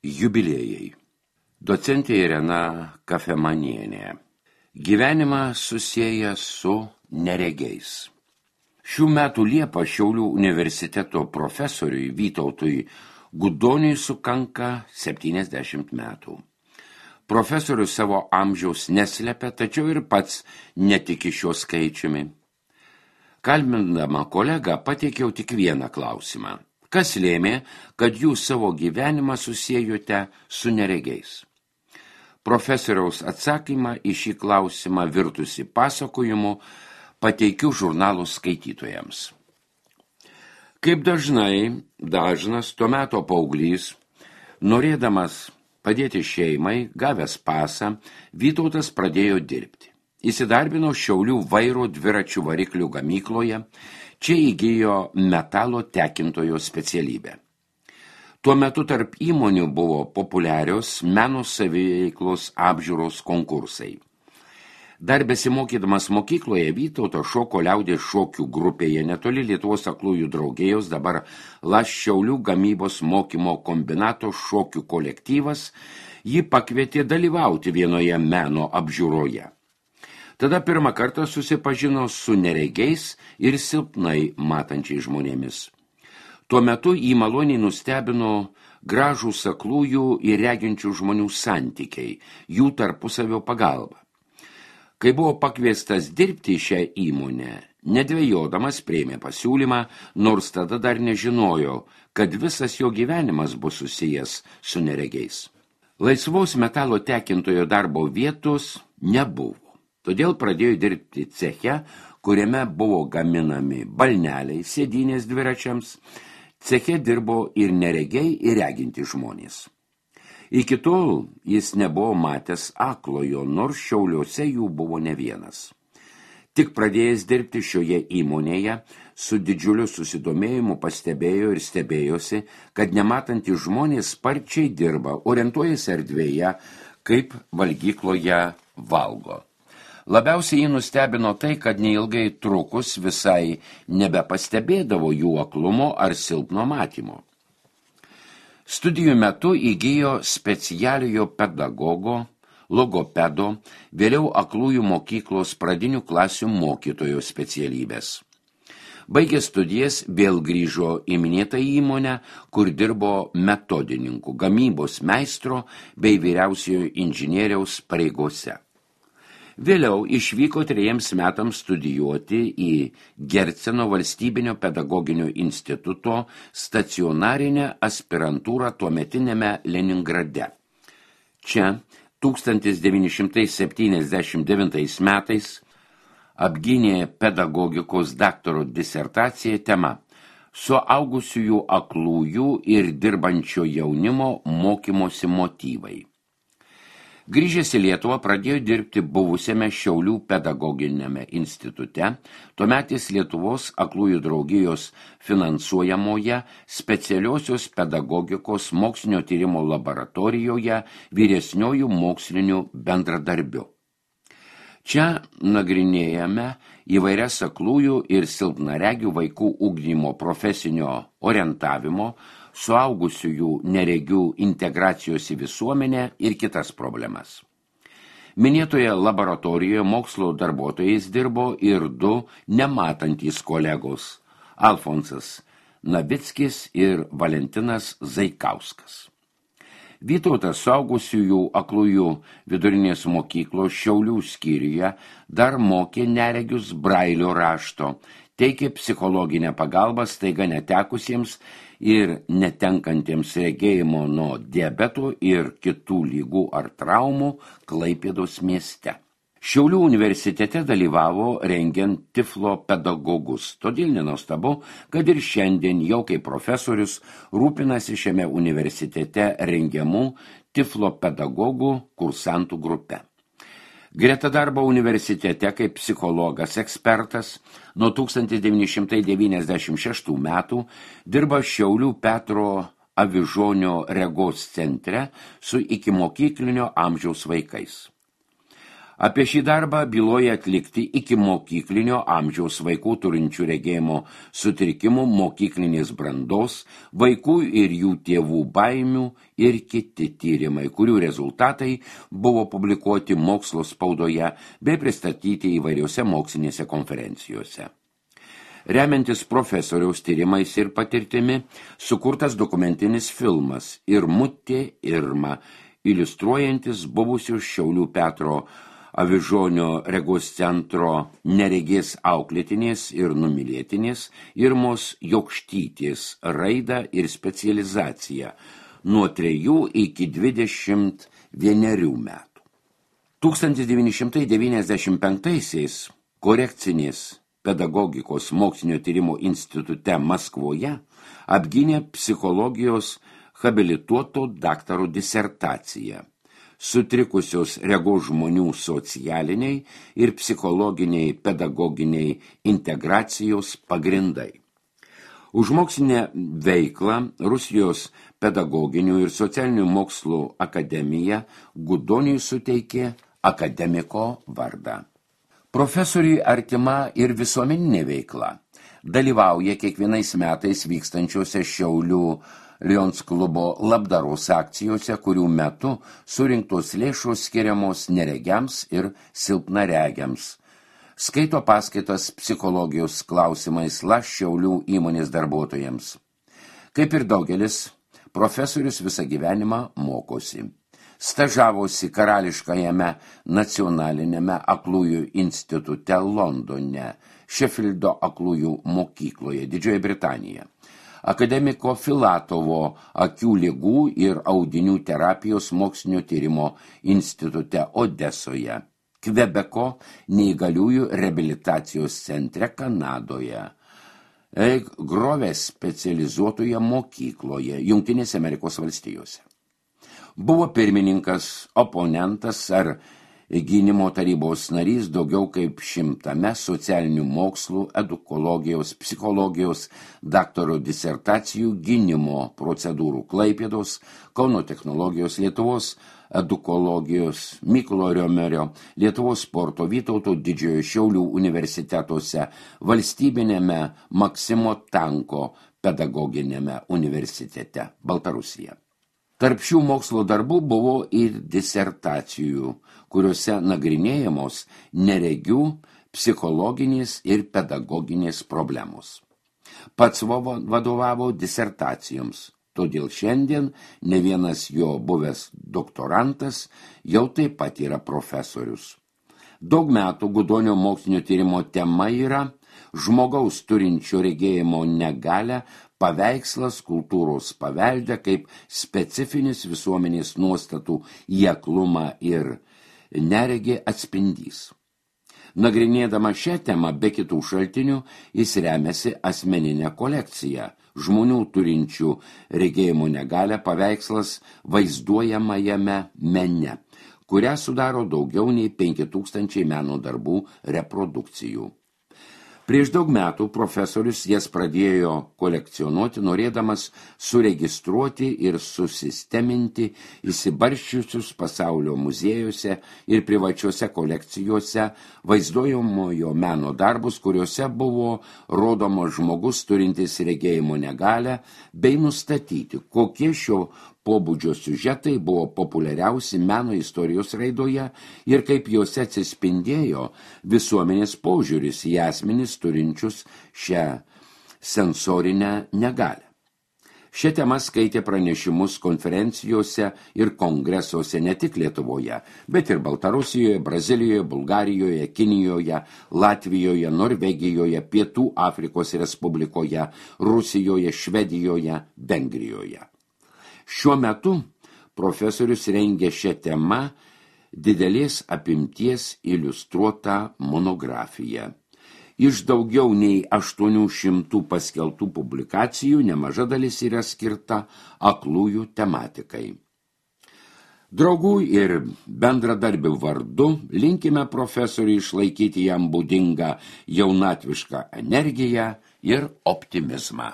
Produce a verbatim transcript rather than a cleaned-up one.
Jubiliejai. Docentė Irena Kafemanienė. Gyvenimą susieja su neregiais. Šių metų Liepą Šiaulių universiteto profesoriui Vytautui Gudoniui sukanka septyniasdešimt metų. Profesorius savo amžiaus neslepia, tačiau ir pats netiki šiuo skaičiumi. Kalbindama kolegą pateikiau tik vieną klausimą. Kas lėmė, kad jūs savo gyvenimą susiejote su neregiais? Profesoriaus atsakymą į šį klausimą virtusi pasakojimu pateikiu žurnalų skaitytojams. Kaip dažnai, dažnas tuo meto paauglys, norėdamas padėti šeimai, gavęs pasą, Vytautas pradėjo dirbti. Įsidarbino Šiaulių vairo dviračių variklių gamykloje, čia įgijo metalo tekintojo specialybę. Tuo metu tarp įmonių buvo populiarios meno saviveiklos apžiūros konkursai. Dar besimokydamas mokykloje Vytautas šoko liaudės šokių grupėje netoli Lietuvos aklųjų draugijos, dabar Las Šiaulių gamybos mokymo kombinato šokių kolektyvas, jį pakvietė dalyvauti vienoje meno apžiūroje. Tada pirmą kartą susipažino su neregiais ir silpnai matančiais žmonėmis. Tuo metu jį maloniai nustebino gražūs aklųjų ir reginčių žmonių santykiai, jų tarpusavio pagalba. Kai buvo pakviestas dirbti šią įmonę, nedvejodamas priėmė pasiūlymą, nors tada dar nežinojo, kad visas jo gyvenimas bus susijęs su neregiais. Laisvos metalo tekintojo darbo vietos nebuvo. Todėl pradėjo dirbti ceche, kuriame buvo gaminami balneliai, sėdynės dviračiams. Ceche dirbo ir neregiai, ir reginti žmonės. Iki tol jis nebuvo matęs aklojo, nors Šiauliuose jų buvo ne vienas. Tik pradėjęs dirbti šioje įmonėje, su didžiuliu susidomėjimu pastebėjo ir stebėjosi, kad nematantys žmonės sparčiai dirba, orientuojasi erdvėje, kaip valgykloje valgo. Labiausiai jį nustebino tai, kad neilgai trukus visai nebepastebėdavo jų aklumo ar silpno matymo. Studijų metu įgijo specialiojo pedagogo, logopedo, vėliau aklųjų mokyklos pradinių klasių mokytojo specialybės. Baigęs studijas vėl grįžo į minėtą įmonę, kur dirbo metodininku, gamybos meistro bei vyriausiojo inžinieriaus pareigose. Vėliau išvyko trejiems metams studijuoti į Gerceno valstybinio pedagoginio instituto stacionarinę aspirantūrą tuometiniame Leningrade. Čia tūkstantis devyni šimtai septyniasdešimt devintais metais apgynė pedagogikos daktaro disertaciją tema Suaugusiųjų aklųjų ir dirbančio jaunimo mokymosi motyvai. Grįžęs į Lietuvą pradėjo dirbti buvusiame Šiaulių pedagoginiame institute, tuometis Lietuvos aklųjų draugijos finansuojamoje specialiosios pedagogikos mokslinio tyrimo laboratorijoje vyresniojų mokslinių bendradarbių. Čia nagrinėjame įvairias aklųjų ir silpnaregių vaikų ugdymo profesinio orientavimo, suaugusiųjų neregių integracijos į visuomenę ir kitas problemas. Minėtoje laboratorijoje mokslo darbuotojais dirbo ir du nematantys kolegos – Alfonsas Navickis ir Valentinas Zaikauskas. Vytautas suaugusiųjų aklųjų vidurinės mokyklos Šiaulių skyriuje dar mokė neregius brailio rašto, teikė psichologinę pagalbą staiga netekusiems ir netenkantiems regėjimo nuo diabeto ir kitų lygų ar traumų Klaipėdos mieste. Šiaulių universitete dalyvavo rengiant tiflo pedagogus, todėl nenuostabu, kad ir šiandien jau kaip profesorius rūpinasi šiame universitete rengiamų tiflo pedagogų kursantų grupe. Greta darbo universitete kaip psichologas ekspertas nuo tūkstantis devyni šimtai devyniasdešimt šeštų metų dirba Šiaulių Petro Avižonio regos centre su ikimokyklinio amžiaus vaikais. Apie šį darbą byloja atlikti iki mokyklinio amžiaus vaikų turinčių regėjimo sutrikimų mokyklinės brandos, vaikų ir jų tėvų baimių ir kiti tyrimai, kurių rezultatai buvo publikuoti mokslo spaudoje bei pristatyti įvairiose mokslinėse konferencijose. Remiantis profesoriaus tyrimais ir patirtimi, sukurtas dokumentinis filmas Irmutė Irma, iliustruojantis buvusius Šiaulių Petro Avižonio regos centro neregės auklėtinės ir numylėtinės Irmos Jokštytės raidą ir specializaciją nuo trejų iki dvidešimt vienerių metų. tūkstantis devyni šimtai devyniasdešimt penktaisiais korekcinės pedagogikos mokslinio tyrimo institute Maskvoje apgynė psichologijos habilituoto daktaro disertaciją Sutrikusios regos žmonių socialiniai ir psichologiniai pedagoginiai integracijos pagrindai. Už mokslinę veiklą Rusijos pedagoginių ir socialinių mokslų akademija Gudoniui suteikė akademiko vardą. Profesoriui artima ir visuomeninė veikla. Dalyvauja kiekvienais metais vykstančiuose Šiaulių Lions klubo labdaros akcijose, kurių metu surinktos lėšos skiriamos neregiams ir silpnaregiams. Skaito paskaitas psichologijos klausimais Laš Šiaulių įmonės darbuotojams. Kaip ir daugelis, profesorius visą gyvenimą mokosi. Stažavosi karališkajame nacionalinėme aklųjų institute Londone, Šefildo aklųjų mokykloje, Didžioji Britanija. Akademiko Filatovo akių ligų ir audinių terapijos mokslinio tyrimo institute Odesoje, Kvebeko neįgaliųjų reabilitacijos centre Kanadoje, Eik Groves specializuotoje mokykloje Jungtinėse Amerikos valstijose. Buvo pirmininkas, oponentas ar gynimo tarybos narys daugiau kaip šimtame socialinių mokslų, edukologijos, psichologijos, daktaro disertacijų gynimo procedūrų Klaipėdos, Kauno technologijos, Lietuvos edukologijos, Mykolo Riomerio, Lietuvos sporto, Vytauto Didžiojo Šiaulių universitetuose, valstybinėme Maksimo Tanko pedagoginėme universitete Baltarusija. Tarp šių mokslo darbų buvo ir disertacijų, kuriuose nagrinėjamos neregių, psichologinės ir pedagoginės problemos. Pats vadovavo disertacijoms, todėl šiandien ne vienas jo buvęs doktorantas jau taip pat yra profesorius. Daug metų Gudonio mokslinio tyrimo tema yra žmogaus turinčio regėjimo negalią paveikslas kultūros pavelde kaip specifinis visuomenės nuostatų į aklumą ir neregį atspindys. Nagrinėdama šią temą be kitų šaltinių, jis remiasi asmeninę kolekciją žmonių turinčių regėjimo negalią paveikslas vaizduojamajame mene, kurią sudaro daugiau nei penki tūkstančiai meno darbų reprodukcijų. Prieš daug metų profesorius jas pradėjo kolekcionuoti, norėdamas suregistruoti ir susisteminti įsibarsčiusius pasaulio muziejuose ir privačiuose kolekcijose vaizduojamojo meno darbus, kuriuose buvo rodomas žmogus turintis regėjimo negalią, bei nustatyti, kokie šio pobūdžio siužetai buvo populiariausi meno istorijos raidoje ir kaip juose atsispindėjo visuomenės požiūris į asmenis turinčius šią sensorinę negalią. Šią temą skaitė pranešimus konferencijose ir kongresuose ne tik Lietuvoje, bet ir Baltarusijoje, Brazilijoje, Bulgarijoje, Kinijoje, Latvijoje, Norvegijoje, Pietų Afrikos Respublikoje, Rusijoje, Švedijoje, Vengrijoje. Šiuo metu profesorius rengė šią temą didelės apimties iliustruotą monografiją. Iš daugiau nei aštuonių šimtų paskelbtų publikacijų nemaža dalis yra skirta aklųjų tematikai. Draugų ir bendradarbių vardu linkime profesoriui išlaikyti jam būdingą jaunatvišką energiją ir optimizmą.